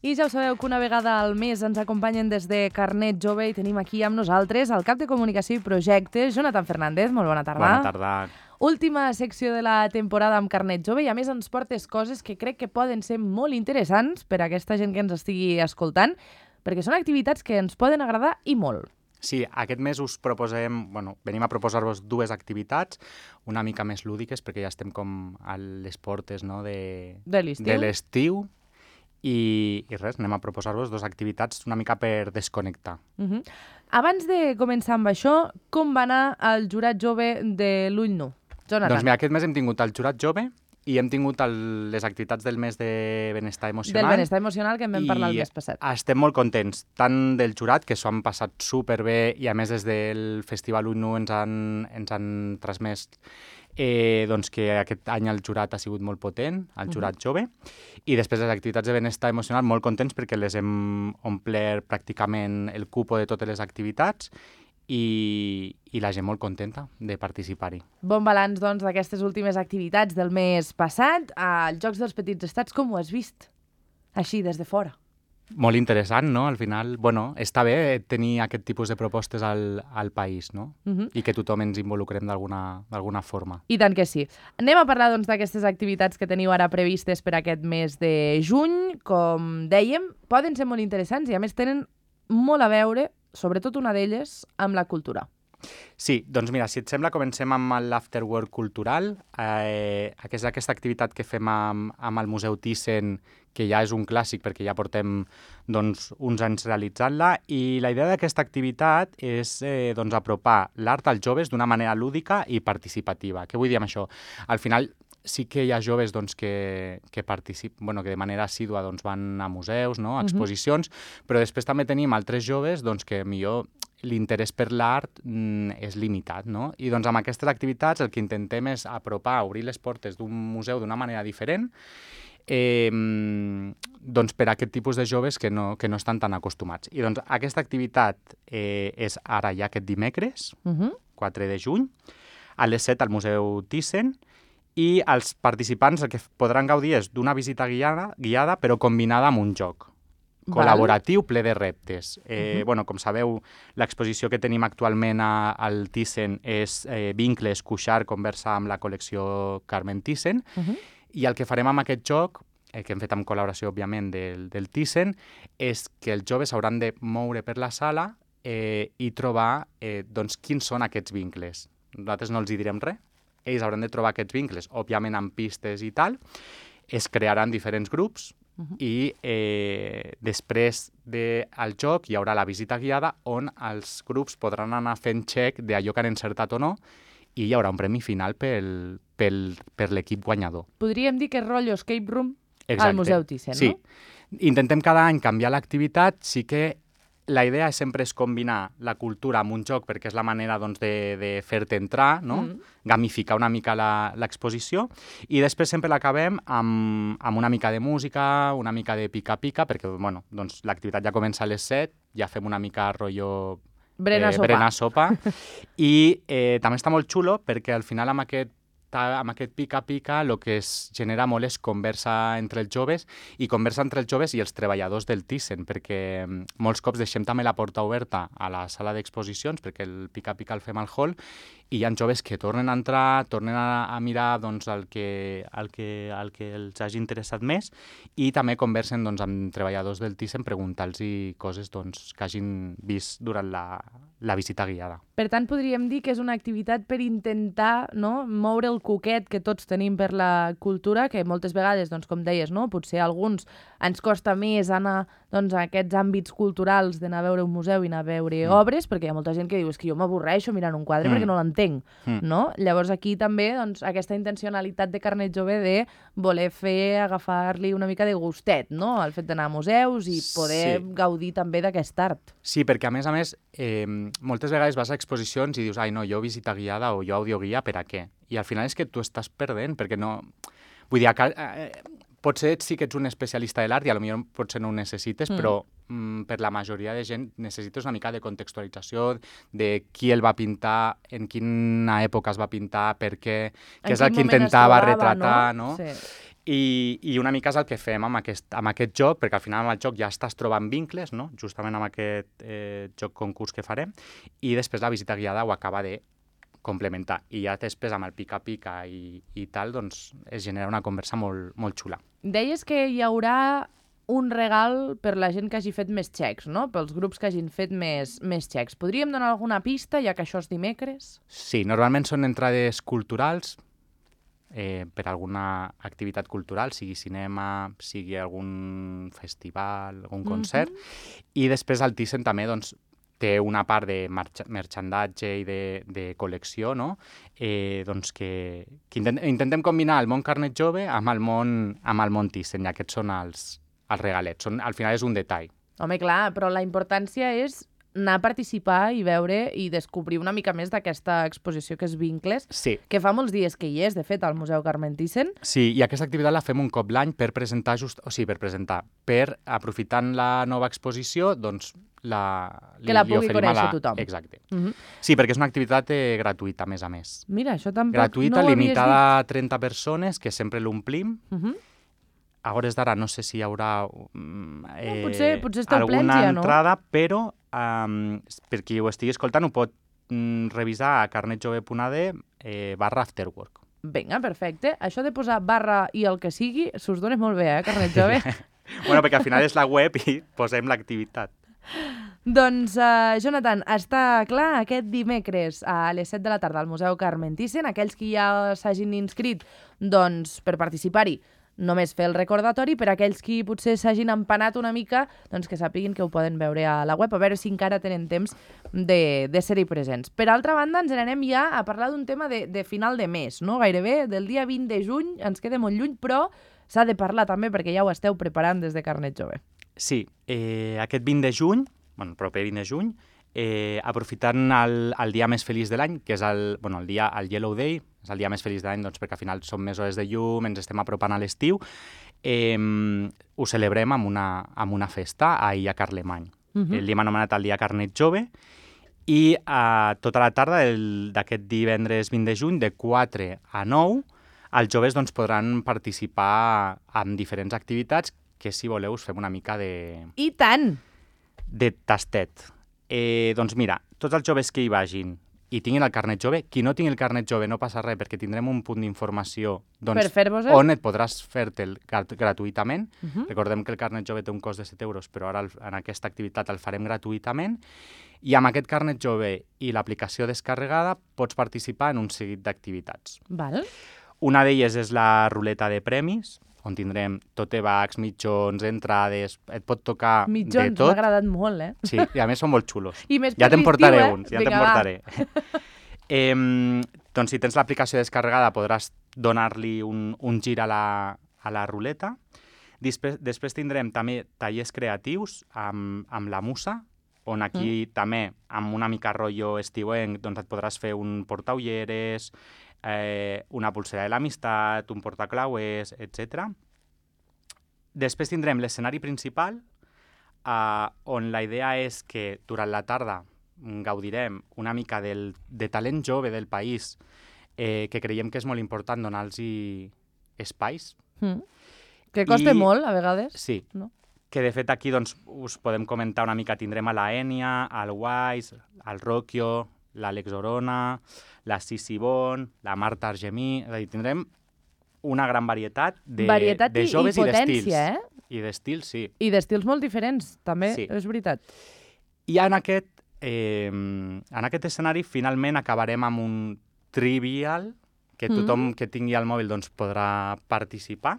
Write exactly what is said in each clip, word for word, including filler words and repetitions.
I ja ho sabeu que una vegada al mes ens acompanyen des de Carnet Jove i tenim aquí amb nosaltres el cap de Comunicació i Projectes, Jonathan Fernández. Molt bona tarda. Bona tarda. Última secció de la temporada amb Carnet Jove i a més ens portes coses que crec que poden ser molt interessants per a aquesta gent que ens estigui escoltant, perquè són activitats que ens poden agradar i molt. Sí, aquest mes us proposem, bueno, venim a proposar-vos dues activitats, una mica més lúdiques, perquè ja estem com a les portes, no, de, de l'estiu. De l'estiu. I, I res, anem a proposar-vos dues activitats una mica per desconnectar. Uh-huh. Abans de començar amb això, com va anar el jurat jove de l'Ull Nu? Jonathan. Doncs mira, aquest mes hem tingut el jurat jove i hem tingut el, les activitats del mes de benestar emocional. Del benestar emocional que en vam parlar el mes passat. I estem molt contents, tant del jurat, que s'ho han passat superbé, i a més des del Festival Ull Nu ens han, ens han transmès eh, doncs que aquest any el jurat ha sigut molt potent, el jurat uh-huh. jove, i després les activitats de benestar emocional molt contents perquè les hem omplert pràcticament el cupo de totes les activitats, I, i la gent molt contenta de participar-hi. Bon balanç, doncs, d'aquestes últimes activitats del mes passat. Als Jocs dels Petits Estats, com ho has vist? Així, des de fora. Molt interessant, no? Al final, bueno, està bé tenir aquest tipus de propostes al, al país, no? Uh-huh. I que tothom ens involucrem d'alguna d'alguna forma. I tant que sí. Anem a parlar, doncs, d'aquestes activitats que teniu ara previstes per aquest mes de juny. Com dèiem, poden ser molt interessants i, a més, tenen molt a veure, sobretot una d'elles, amb la cultura. Sí, doncs mira, si et sembla, comencem amb l'Afterwork cultural, eh, que és aquesta activitat que fem amb, amb el Museu Thyssen, que ja és un clàssic perquè ja portem doncs, uns anys realitzant-la, i la idea d'aquesta activitat és eh, doncs, apropar l'art als joves d'una manera lúdica i participativa. Què vull dir amb això? Al final, sí que hi ha joves doncs, que, que, particip... bueno, que de manera assídua doncs, van a museus, no? a exposicions, uh-huh. però després també tenim altres joves doncs, que millor l'interès per l'art mm, és limitat. No? I doncs, amb aquestes activitats el que intentem és apropar, obrir les portes d'un museu d'una manera diferent, eh, doncs, per a aquest tipus de joves que no, que no estan tan acostumats. I doncs, aquesta activitat eh, és ara ja aquest dimecres, uh-huh. quatre de juny, a les set al Museu Thyssen, i els participants el que podran gaudir és d'una visita guiada, guiada però combinada amb un joc Val. col·laboratiu ple de reptes. Eh, uh-huh. bueno, com sabeu, l'exposició que tenim actualment a, al Thyssen és eh, Vincles, Cuixart, conversa amb la col·lecció Carmen Thyssen, uh-huh. i el que farem amb aquest joc, eh, que hem fet amb col·laboració, òbviament, del, del Thyssen, és que els joves s'hauran de moure per la sala eh, i trobar eh, doncs, quins són aquests vincles. Nosaltres no els hi direm res. Ells hauran de trobar aquests vincles, òbviament amb pistes i tal, es crearan diferents grups uh-huh. i eh, després del joc hi haurà la visita guiada on els grups podran anar fent check d'allò que han encertat o no i hi haurà un premi final pel, pel, per l'equip guanyador. Podríem dir que és rotllo escape room Exacte. Al Museu Thyssen, sí. no? Intentem cada any canviar l'activitat, sí que la idea sempre és combinar la cultura amb un joc perquè és la manera doncs, de, de fer-te entrar, no? mm. gamificar una mica l'exposició i després sempre l'acabem amb, amb una mica de música, una mica de pica-pica perquè bueno, doncs, l'activitat ja comença a les set, ja fem una mica rotllo Brena eh, sopa, brena sopa. i eh, també està molt xulo perquè al final amb aquest amb aquest pica-pica el que es genera molt és conversa entre els joves i conversa entre els joves i els treballadors del Thyssen, perquè molts cops deixem també la porta oberta a la sala d'exposicions, perquè el pica-pica el fem al hall, i hi ha joves que tornen a entrar, tornen a, a mirar doncs, el, que, el, que, el que els hagi interessat més i també conversen doncs, amb treballadors del Thyssen preguntant-los coses doncs, que hagin vist durant la, la visita guiada. Per tant, podríem dir que és una activitat per intentar no, moure el coquet que tots tenim per la cultura, que moltes vegades, doncs, com deies, no, potser a alguns ens costa més anar doncs, a aquests àmbits culturals d'anar a veure un museu i anar a veure mm. obres, perquè hi ha molta gent que diu és que jo m'avorreixo mirant un quadre mm. perquè no l'entenc. Mm. No? Llavors aquí també doncs, aquesta intencionalitat de Carnet Jove de voler fer, agafar-li una mica de gustet, no? El fet d'anar a museus i poder sí. gaudir també d'aquest art. Sí, perquè a més a més, eh, moltes vegades vas a exposicions i dius, ai no, jo visita guiada o jo audioguia, per a què? I al final és que tu estàs perdent, perquè no... Vull dir, eh, potser sí que ets un especialista de l'art i potser potser no ho necessites, mm. però mm, per la majoria de gent necessites una mica de contextualització de qui el va pintar, en quina època es va pintar, per què, què és el que intentava trobava, retratar, no? no? Sí. I, I una mica és el que fem amb aquest, amb aquest joc, perquè al final amb el joc ja estàs trobant vincles, no? Justament amb aquest eh, joc concurs que farem, i després la visita guiada ho acaba de complementar. I ja després amb el pica-pica i, i tal, doncs es genera una conversa molt, molt xula. Deies que hi haurà un regal per la gent que hagi fet més xecs, no? Pels grups que hagin fet més, més xecs. Podríem donar alguna pista, ja que això és dimecres? Sí, normalment són entrades culturals, Eh, per alguna activitat cultural, sigui cinema, sigui algun festival, algun concert, mm-hmm. i després el Thyssen també doncs, té una part de merchandatge i de, de col·lecció, no? eh, doncs que, que intent, intentem combinar el món Carnet Jove amb el món, amb el món Thyssen, i aquests són els, els regalets. Són, al final és un detall. Home, clar, però la importància és anar a participar i veure i descobrir una mica més d'aquesta exposició que és Vincles, sí. que fa molts dies que hi és, de fet, al Museu Carmen Thyssen. Sí, i aquesta activitat la fem un cop l'any per presentar, just, o sigui, per presentar, per, aprofitant la nova exposició, doncs, la, que la pugui conèixer la... tothom. Exacte. Uh-huh. Sí, perquè és una activitat eh, gratuïta, a més a més. Mira, això tampoc gratuïta, no ho limitada a trenta persones, que sempre l'omplim. Uh-huh. A hores d'ara no sé si hi haurà eh, no, potser, potser està alguna plens, ja, no? entrada, però um, per qui ho estigui escoltant ho pot mm, revisar a carnetjove punt a d eh, barra afterwork. Vinga, perfecte. Això de posar barra i el que sigui s'us dona molt bé, eh, Carnet Jove? Bueno, perquè al final és la web i posem l'activitat. Doncs, uh, Jonathan, està clar aquest dimecres a les set de la tarda al Museu Carmen Thyssen. Aquells que ja s'hagin inscrit, doncs, per participar-hi, només fer el recordatori. Per aquells que potser s'hagin empanat una mica, doncs que sàpiguin que ho poden veure a la web, a veure si encara tenen temps de, de ser-hi presents. Per altra banda, ens n'anem ja a parlar d'un tema de, de final de mes, no? Gairebé del dia vint de juny, ens queda molt lluny, però s'ha de parlar també perquè ja ho esteu preparant des de Carnet Jove. Sí, eh, aquest vint de juny, bueno, el proper vint de juny, eh, aprofitant el, el dia més feliç de l'any, que és el, bueno, el dia el Yellow Day, és el dia més feliç de l'any, doncs, perquè al final són més hores de llum, ens estem apropant a l'estiu, eh, ho celebrem amb una, amb una festa ahir a Carlemany. Uh-huh. El dia hem anomenat el dia Carnet Jove, i eh, tota la tarda d'aquest divendres vint de juny, de quatre a nou, els joves doncs, podran participar en diferents activitats que, si voleu, us fem una mica de... I tant! De tastet. Eh, doncs mira, tots els joves que hi vagin i tinguin el carnet jove, qui no tingui el carnet jove no passa res, perquè tindrem un punt d'informació doncs, on et podràs fer-te'l gratuïtament. Uh-huh. Recordem que el carnet jove té un cost de set euros, però ara en aquesta activitat el farem gratuïtament. I amb aquest carnet jove i l'aplicació descarregada pots participar en un seguit d'activitats. Val. Una d'elles és la ruleta de premis, on tindrem totebags, mitjons, entrades, et pot tocar mitjons, de tot. Mitjons, m'ha agradat molt, eh? Sí, i a més són molt xulos. I més ja te'n portaré eh? uns, ja te'n portaré. eh, doncs si tens l'aplicació descarregada podràs donar-li un, un gir a la, a la ruleta. Després, després tindrem també tallers creatius amb, amb la Musa, on aquí mm. també, amb una mica rotllo estiuenc, doncs et podràs fer un portaulleres, Eh, una pulsera de l'amistat, un portaclauers, etcètera. Després tindrem l'escenari principal, eh, on la idea és que durant la tarda gaudirem una mica del, de talent jove del país, eh, que creiem que és molt important donar-los espais. Mm. Que costa I, molt, a vegades. Sí. No? Que de fet aquí doncs, us podem comentar una mica, tindrem a la Enya, al Wise, al Rocchio, l'Àlex Orona, la Sissi Bon, la Marta Argemí... És a dir, tindrem una gran varietat de, varietat de joves i, i, i d'estils. Eh? I d'estils, sí. I d'estils molt diferents, també, sí. És veritat. I en aquest, eh, en aquest escenari finalment acabarem amb un trivial, que tothom mm. que tingui el mòbil doncs, podrà participar,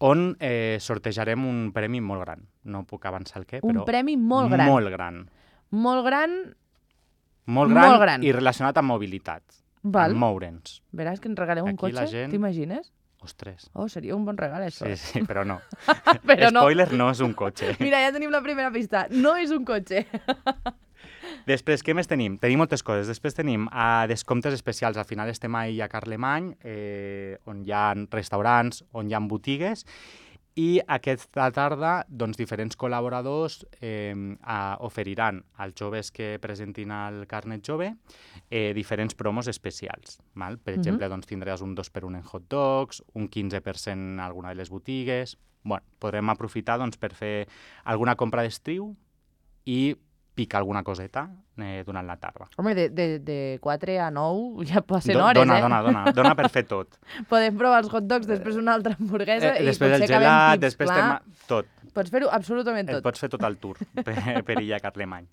on eh, sortejarem un premi molt gran. No puc avançar el què, un però... Un premi molt gran. Molt gran. Molt gran... Molt gran, molt gran i relacionat amb mobilitat, Val. amb moure'ns. Veràs que ens regaleu un Aquí cotxe, gent... t'imagines? Ostres. Oh, seria un bon regal, això. Sí, sí, però no. però Spoiler, no. no és un cotxe. Mira, ja tenim la primera pista. No és un cotxe. Després, què més tenim? Tenim moltes coses. Després tenim uh, descomptes especials. Al final estem ahir a Carlemany, eh, on hi ha restaurants, on hi ha botigues, I aquesta tarda doncs, diferents col·laboradors eh, a, oferiran als joves que presentin el carnet jove eh, diferents promos especials. Val? Per exemple, uh -huh. doncs, tindràs un dos per un en hot dogs, un quinze per cent en alguna de les botigues. Bueno, podrem aprofitar doncs, per fer alguna compra d'estiu i picar alguna coseta eh, durant la tarda. Home, de, de, de quatre a nou ja passen Do, hores, dona, eh? Dona, dona, dona per fer tot. Podem provar els hot dogs, després una altra hamburguesa eh, i després potser el gelat, acabem tips, després clar. tema... tot. Pots fer-ho absolutament tot. Et pots fer tot el tour per, per Illa Carlemany.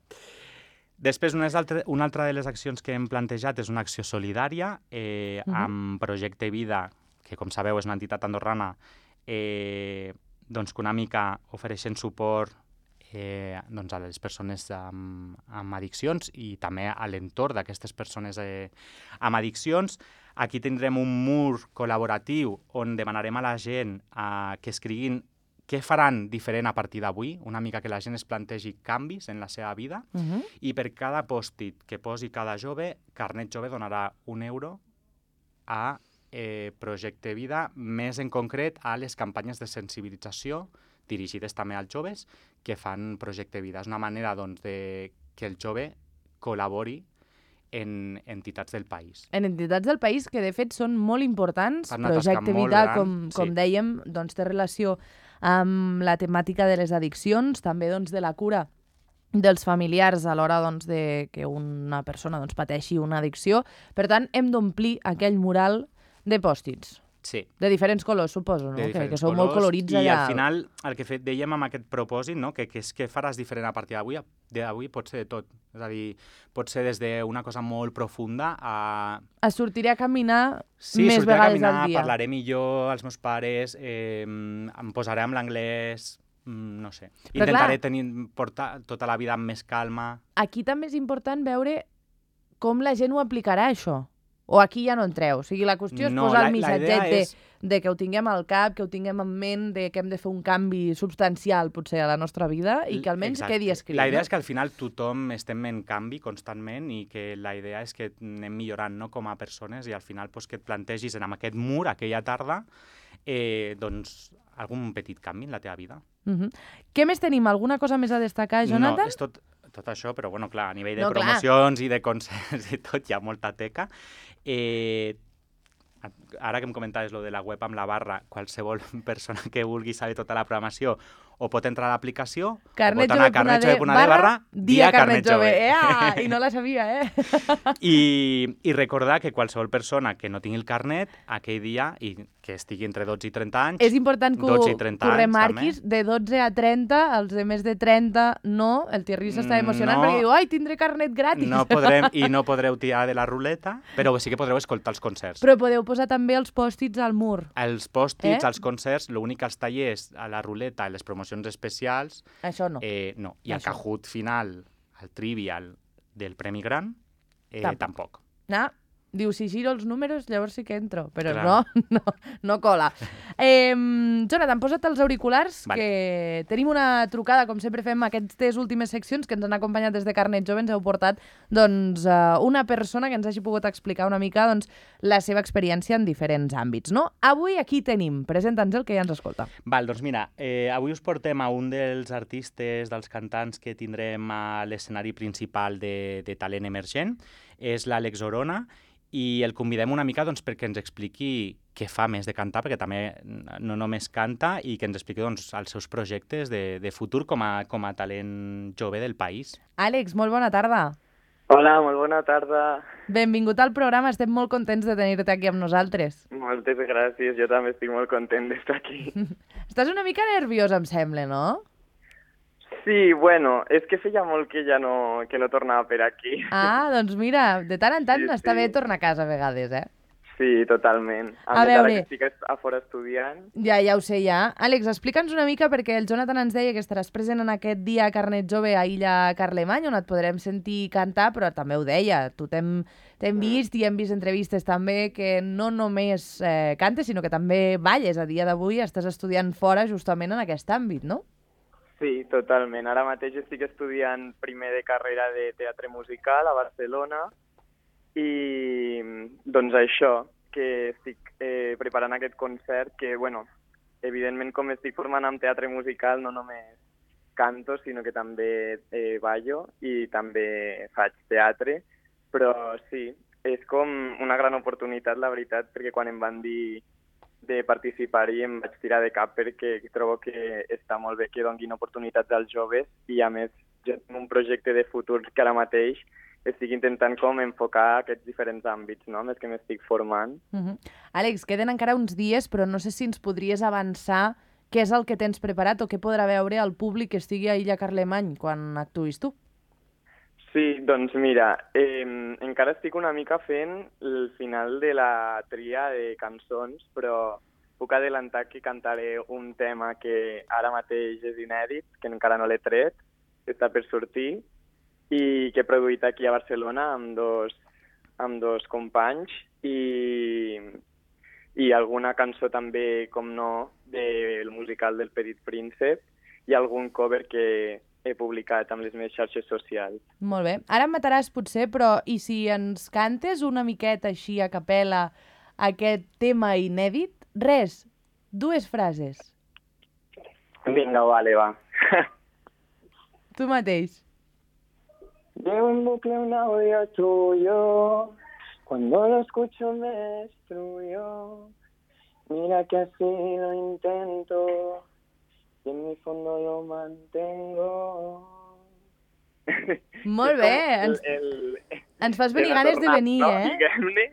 Després, una altra, una altra de les accions que hem plantejat és una acció solidària eh, uh -huh. amb Projecte Vida, que com sabeu és una entitat andorrana, eh, doncs que una mica ofereixen suport eh, doncs a les persones amb, amb addiccions i també a l'entorn d'aquestes persones eh, amb addiccions. Aquí tindrem un mur col·laboratiu on demanarem a la gent eh, que escriguin què faran diferent a partir d'avui, una mica que la gent es plantegi canvis en la seva vida, Uh -huh. i per cada pòstit que posi cada jove, Carnet Jove donarà un euro a eh, Projecte Vida, més en concret a les campanyes de sensibilització dirigides també als joves que fan Projecte Vida. És una manera doncs, de que el jove col·labori en entitats del país. En entitats del país que, de fet, són molt importants. Fan una tasca Projecte molt Vida, gran, com, com sí. dèiem, doncs, té relació amb la temàtica de les addiccions, també doncs, de la cura dels familiars a l'hora doncs, de que una persona doncs, pateixi una addicció. Per tant, hem d'omplir aquell mural de pòstits. Sí. De diferents colors, suposo, no? De Que, que diferents sou colors, molt colorits i allà. al final el que fet, dèiem amb aquest propòsit, no? que, que és que faràs diferent a partir d'avui, d'avui pot ser de tot. És a dir, pot ser des d'una cosa molt profunda a... Es sortiré a caminar sí, més vegades a caminar, al dia. Parlaré millor als meus pares, eh, em posaré amb l'anglès, no sé. Però Intentaré clar, tenir, portar tota la vida amb més calma. Aquí també és important veure com la gent ho aplicarà, això. O aquí ja no entreu. O sigui, la qüestió és No, posar la- el la missatget idea de, és- de que ho tinguem al cap, que ho tinguem en ment, de que hem de fer un canvi substancial, potser, a la nostra vida i que almenys Exacte. quedi escrit. La idea no? és que al final tothom estem en canvi constantment i que la idea és que anem millorant, no, com a persones, i al final pues, que et plantegis en amb aquest mur aquella tarda eh, doncs, algun petit canvi en la teva vida. Uh -huh. Què més tenim? Alguna cosa més a destacar, Jonathan? No, és tot, tot això, però bueno, clar, a nivell de No, clar. promocions i de concerts i tot, hi ha molta teca. Eh, ara que em comentaves lo de la web amb la barra, qualsevol persona que vulgui saber tota la programació o pot entrar a l'aplicació o pot anar a carnetjove punt d barra dia carnet jove. Ea! I no la sabia, eh? I, I recordar que qualsevol persona que no tingui el carnet aquell dia i que estigui entre dotze i trenta anys... És important que ho, dotze i trenta que ho anys, remarquis, de dotze a trenta, els de més de trenta no, el Thierry s'està emocionant No. perquè diu, ai, tindré carnet gratis. No podrem, i no podreu tirar de la ruleta, però sí que podreu escoltar els concerts. Però podeu posar també els pòstits al mur. Els pòstits, Eh? els concerts, l'únic que els tallers, a la ruleta i les promocions especials, Això no. eh, no. I el Això. Kahoot final, el trivial del Premi Gran, eh, Tampoc. tampoc. Ah, diu, si giro els números, llavors sí que entro. Però Clar. no, no, no cola. Eh, Jonathan, posa't els auriculars, Vale. que tenim una trucada, com sempre fem aquestes últimes seccions que ens han acompanyat des de Carnet Jove. Ens heu portat doncs, eh, una persona que ens hagi pogut explicar una mica doncs, la seva experiència en diferents àmbits. No? Avui aquí tenim. Presenta'ns el que ja ens escolta. Val, doncs mira, eh, avui us portem a un dels artistes, dels cantants que tindrem a l'escenari principal de, de talent emergent. És l'Àlex Orona, i el convidem una mica doncs, perquè ens expliqui què fa més de cantar, perquè també no només canta, i que ens expliqui doncs, els seus projectes de, de futur com a, com a talent jove del país. Àlex, molt bona tarda. Hola, molt bona tarda. Benvingut al programa, estem molt contents de tenir-te aquí amb nosaltres. Moltes gràcies, jo també estic molt content d'estar aquí. Estàs una mica nerviós, em sembla, no? Sí, bueno, és que feia molt que ja no, que no tornava per aquí. Ah, doncs mira, de tant en tant Sí, està sí. bé tornar a casa a vegades, eh? Sí, totalment. A més, veure. ara que estic a fora estudiant. Ja, ja ho sé, ja. Àlex, explica'ns una mica, perquè el Jonathan ens deia que estaràs present en aquest dia Carnet Jove a Illa Carlemany, on et podrem sentir cantar, però també ho deia, tu t'hem t'hem vist i hem vist entrevistes també que no només eh, cantes, sinó que també balles. A dia d'avui estàs estudiant fora justament en aquest àmbit, no? Sí, totalment. Ara mateix estic estudiant primer de carrera de teatre musical a Barcelona i doncs això, que estic eh, preparant aquest concert que, bueno, evidentment, com estic formant amb teatre musical, no només canto, sinó que també eh, ballo i també faig teatre, però sí, és com una gran oportunitat, la veritat, perquè quan em van dir de participar-hi em vaig tirar de cap perquè trobo que està molt bé que donguin oportunitats als joves i, a més, jo tinc un projecte de futur que ara mateix estic intentant com enfocar aquests diferents àmbits, no?, més que m'estic formant. Uh-huh. Àlex, queden encara uns dies, però no sé si ens podries avançar què és el que tens preparat o què podrà veure el públic que estigui a Illa Carlemany quan actuïs tu. Sí, doncs mira, eh, encara estic una mica fent el final de la tria de cançons, però puc adelantar que cantaré un tema que ara mateix és inèdit, que encara no l'he tret, que està per sortir, i que he produït aquí a Barcelona amb dos, amb dos companys i, i alguna cançó també, com no, del musical del Petit Príncep i algun cover que he publicat amb les meves xarxes socials. Molt bé. Ara em mataràs potser, però i si ens cantes una miqueta així a capella aquest tema inèdit? Res, dues frases. Vinga, vale, va. Tu mateix. Llevo en bucle un audio tuyo, cuando lo escucho me destruyo. Mira que así lo intento, y en mi fondo lo mantengo. Molt bé, ens, el, el, ens fas venir ganes de venir, no? eh? Diguem-ne.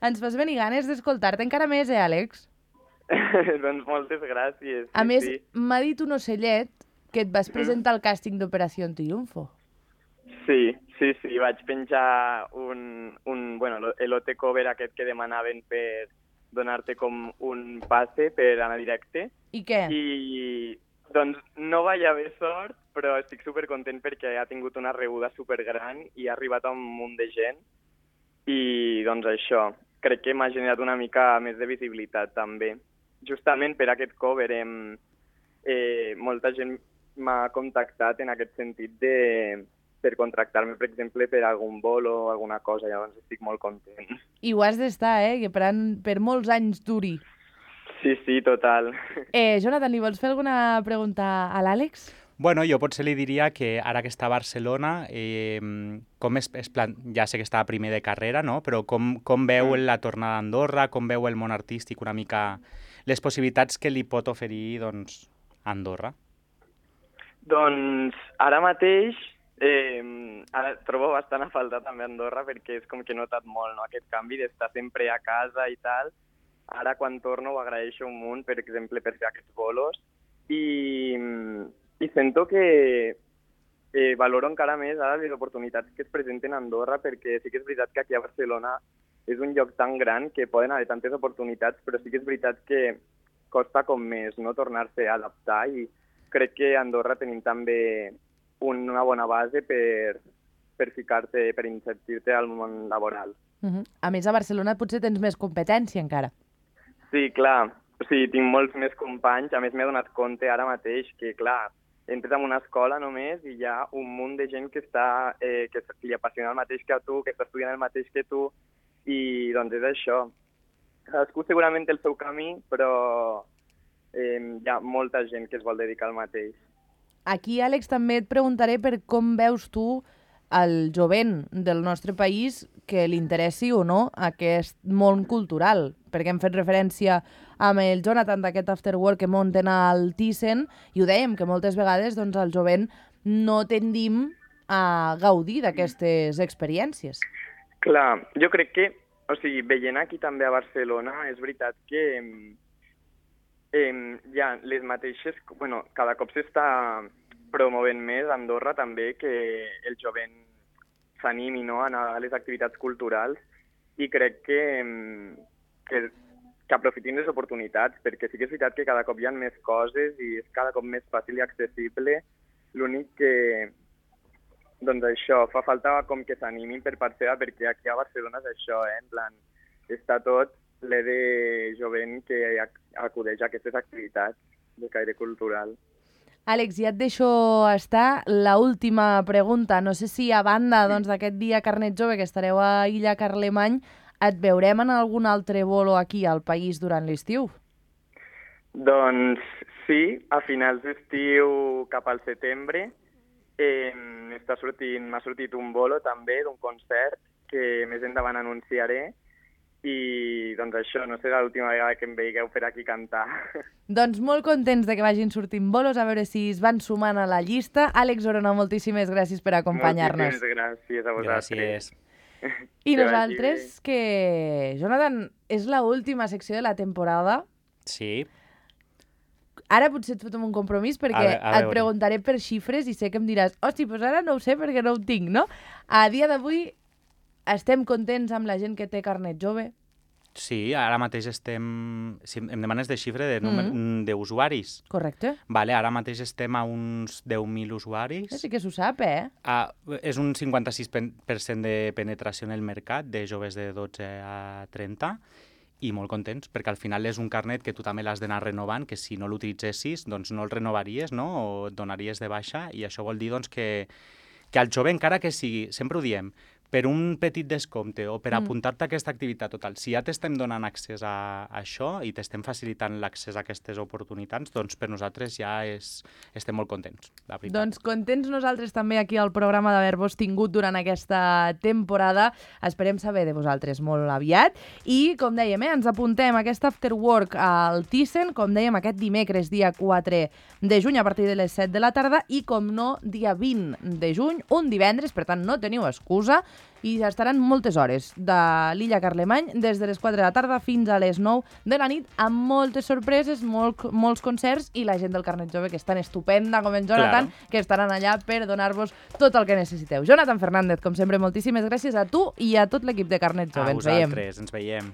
Ens fas venir ganes d'escoltar-te encara més, eh, Àlex? Doncs moltes gràcies. A sí, més, sí. m'ha dit un ocellet que et vas presentar al càsting d'Operació Triunfo. Sí, sí, sí, vaig penjar un, un bueno, l'O T cover aquest que demanaven per donar-te com un passe per anar directe. I què? I doncs no vaig haver sort, però estic supercontent perquè ha tingut una rebuda supergran i ha arribat a un munt de gent. I doncs això, crec que m'ha generat una mica més de visibilitat també. Justament per aquest cover hem, eh, molta gent m'ha contactat en aquest sentit de per contractar-me, per exemple, per algun bolo o alguna cosa, llavors estic molt content. I ho has d'estar, eh? Que per, an... per molts anys duri. Sí, sí, total. Eh, Jonathan, li vols fer alguna pregunta a l'Àlex? Bueno, jo potser li diria que ara que està a Barcelona, eh, com es, es plan... ja sé que està a primer de carrera, no? Però com, com veu la tornada a Andorra, com veu el món artístic, una mica les possibilitats que li pot oferir, doncs, Andorra? Doncs ara mateix eh, ara trobo bastant a faltar també Andorra perquè és com que he notat molt, no?, aquest canvi d'estar sempre a casa i tal. Ara quan torno ho agraeixo un munt, per exemple, per fer aquests bolos i, i sento que eh, valoro encara més ara les oportunitats que es presenten a Andorra perquè sí que és veritat que aquí a Barcelona és un lloc tan gran que poden haver tantes oportunitats, però sí que és veritat que costa com més, no?, tornar-se a adaptar i crec que a Andorra tenim també una bona base per, per ficar-te, per inserir-te al món laboral. Uh-huh. A més, a Barcelona potser tens més competència encara. Sí, clar. O sigui, tinc molts més companys. A més, m'he donat compte ara mateix que, clar, entres en una escola només i hi ha un munt de gent que està eh, que li apassiona el mateix que a tu, que està estudiant el mateix que tu, i doncs és això. Cadascú segurament té el seu camí, però eh, hi ha molta gent que es vol dedicar al mateix. Aquí, Àlex, també et preguntaré per com veus tu el jovent del nostre país que li interessi o no aquest món cultural, perquè hem fet referència amb el Jonathan d'aquest afterwork que munten al Thyssen i ho dèiem, que moltes vegades doncs, el jovent no tendim a gaudir d'aquestes experiències. Clar, jo crec que, o sigui, veient aquí també a Barcelona, és veritat que eh, hi ha les mateixes, bueno, cada cop s'està promovent més a Andorra també que el jovent s'animi, no?, a anar a les activitats culturals i crec que, que, que aprofitin les oportunitats, perquè sí que és veritat que cada cop hi ha més coses i és cada cop més fàcil i accessible. L'únic que, doncs això, fa falta com que s'animin per part seva, perquè aquí a Barcelona és això, eh? En plan, està tot ple de jovent que acudeix a aquestes activitats de caire cultural. Àlex, ja et deixo estar. La última pregunta. No sé si a banda doncs, d'aquest dia Carnet Jove que estareu a Illa Carlemany, et veurem en algun altre bolo aquí al país durant l'estiu? Doncs sí, a finals d'estiu cap al setembre eh, està sortint, m'ha sortit un bolo també d'un concert que més endavant anunciaré i doncs això, no serà l'última vegada que em veieu per aquí cantar. Doncs molt contents de que vagin sortint bolos, a veure si es van sumant a la llista. Àlex Orona, moltíssimes gràcies per acompanyar-nos. Moltíssimes gràcies a vosaltres. Gràcies. I nosaltres, que, Jonathan, és l'última secció de la temporada. Sí. Ara potser et fotem un compromís perquè A ve- a et veure. preguntaré per xifres i sé que em diràs hosti, doncs ara no ho sé perquè no ho tinc, no? A dia d'avui estem contents amb la gent que té carnet jove? Sí, ara mateix estem... Si em demanes de xifra de número Mm. d'usuaris. Correcte. Vale, ara mateix estem a uns deu mil usuaris. Sí que s'ho sap, eh? Ah, és un cinquanta-sis per cent de penetració en el mercat de joves de dotze a trenta i molt contents, perquè al final és un carnet que tu també l'has d'anar renovant, que si no l'utilitzessis doncs no el renovaries, no? O et donaries de baixa, i això vol dir doncs, que, que al jove, encara que sigui, sempre ho diem, per un petit descompte o per Mm. apuntar-te a aquesta activitat total, si ja t'estem donant accés a, a això i t'estem facilitant l'accés a aquestes oportunitats, doncs per nosaltres ja és, estem molt contents, la veritat. Doncs contents nosaltres també aquí al programa d'haver-vos tingut durant aquesta temporada. Esperem saber de vosaltres molt aviat. I, com dèiem, eh, ens apuntem a aquest after work al Thyssen, com dèiem, aquest dimecres, dia quatre de juny, a partir de les set de la tarda, i, com no, dia vint de juny, un divendres, per tant, no teniu excusa, i estaran moltes hores de l'Illa Carlemany, des de les quatre de la tarda fins a les nou de la nit, amb moltes sorpreses, molt, molts concerts, i la gent del Carnet Jove, que és tan estupenda com en Jonathan, Claro. que estaran allà per donar-vos tot el que necessiteu. Jonathan Fernández, com sempre, moltíssimes gràcies a tu i a tot l'equip de Carnet Jove. A Ens veiem. vosaltres, ens veiem.